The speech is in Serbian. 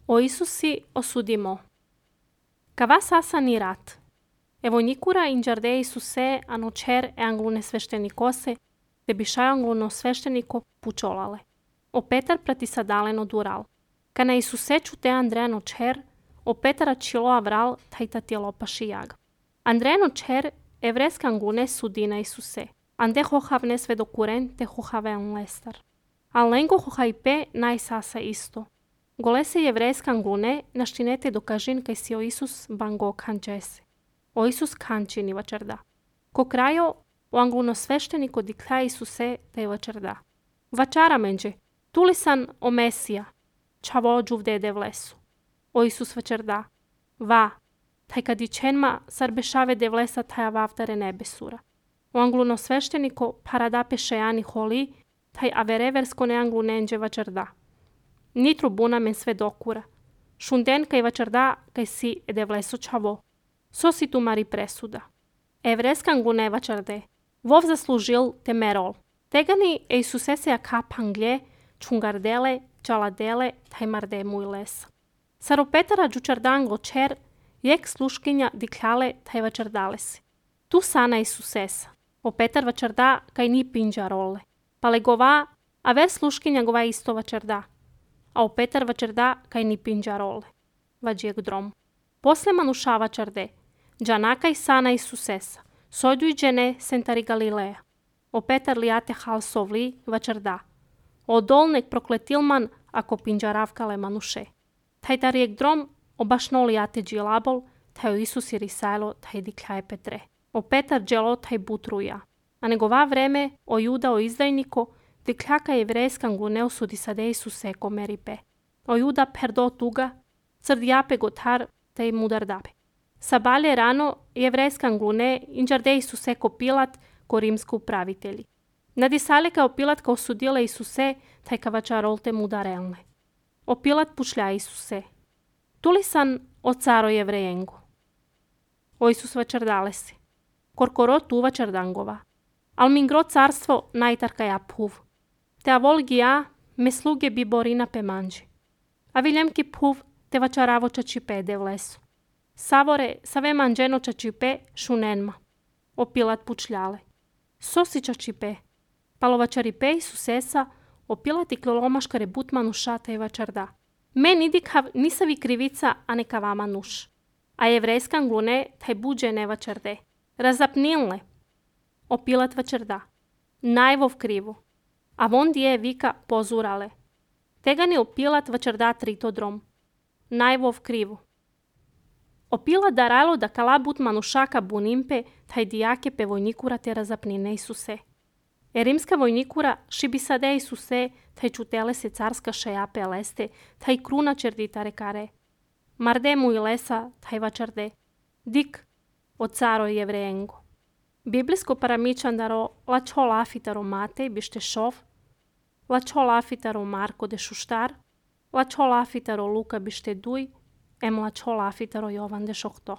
O Isusi osudimo. Cava sasani rat. Evojnicura in giardei Isuse anocer e anglune sveštenikose, te bišaj angluno svešteniko pučolale. O Petar pratisadaleno dural. Kana Isuse čute Andrea nocer, o Petara čilo avral tajta tjelopaši jag. Andrea nocer evreska anglune sudina Isuse. Ande hohavne svedokuren te hohaven lestar. Alengo hohaipe naj sasa isto. Golese jevreska anglune naštinete dokažin kaj si o Isus bango kančese. O Isus kančini vačarda. Ko krajo o angluno svešteniko dikla Isuse te vačarda. Vačara menđe, tulisan o Mesija, čavo džuvdede vlesu. O Isus vačarda. Va, taj kad ičenma sarbešave de vlesa taja vavtare nebesura. O angluno svešteniko paradape šejani holi, taj avereversko ne anglunenđe vačarda. Nitru buna men sve dokura. Šunden kaj vačarda kaj si ede vleso čavo. So si tu mari presuda. Evreska anglune vačarde. Vov zaslužil te merol. Tegani e Isusesea kapanglje, čungardele, čaladele, taj marde muj lesa. Saropetara džučardango čer, jek sluškinja dikljale taj vačardale si. Tu sana Isusesa. O Petar vačarda kaj ni pinđa role. Pa legova, a ver sluškinja gova isto vačarda. A o Petar vačarda kaj ni pinđa role. Vađijek drom. Posle manuša vačarde. Džanaka i sana Isusesa. Sojdu i džene sentari Galileja. O Petar lijate hal sovli vačarda. O dolnek prokletilman ako pinđaravkale manuše. Taj tarijek drom obašno lijate džilabol, taj o Isus i risajlo taj dikljaje Petre. O Petar dželo taj butruja. A negova vreme o Juda o izdajniko, dikljaka jevrejska anglune osudi sade Isuse ko meripe. O Juda perdo tuga, crdijape gotar taj mudar dabe. Sabalje rano jevrejska anglune inđarde Isuse ko Pilat ko rimsko upravitelji. Nadisale kao Pilat kao osudile Isuse taj kavačarolte mudarelne. O Pilat pušlja Isuse. Tulisan o caro jevrejengo. O Isus vačardale si. Korkoro tu vačardangova. Al mingro carstvo najtarka ja puv. Te avolgi ja me sluge bi borina pe manđi. A viljemki puv te vačaravo čačipe de vlesu. Savore save manđeno čačipe šunenma. O Pilat pučljale. Sosi čačipe. Palo vačaripe Isusesa o Pilat i klolomaškare butmanu šata i vačarda. Men idikav nisavi krivica, a neka vama nuš. A jevrejska anglune taj buđe ne vačarde. Razapnilne. O Pilat vačarda. Najvov krivu. A von je vika pozurale. Tegani o Pilat vačarda trito drom. Najvov krivu. O Pilat daralo da kala butmanu šaka bunimpe taj dijake pe vojnikura te razapnine Isuse. E rimska vojnikura šibisade Isuse taj čutele se carska šejape leste, taj kruna čerditare kare. Marde mu i lesa taj vačarde. Dik o caro jevrejengo. Biblijsko paramičandaro lačo lafitaro Matej bište šov, lačo lafitaro Marko de šuštar, lačo lafitaro Luka bište duj, em lačo lafitaro Jovan de šohto.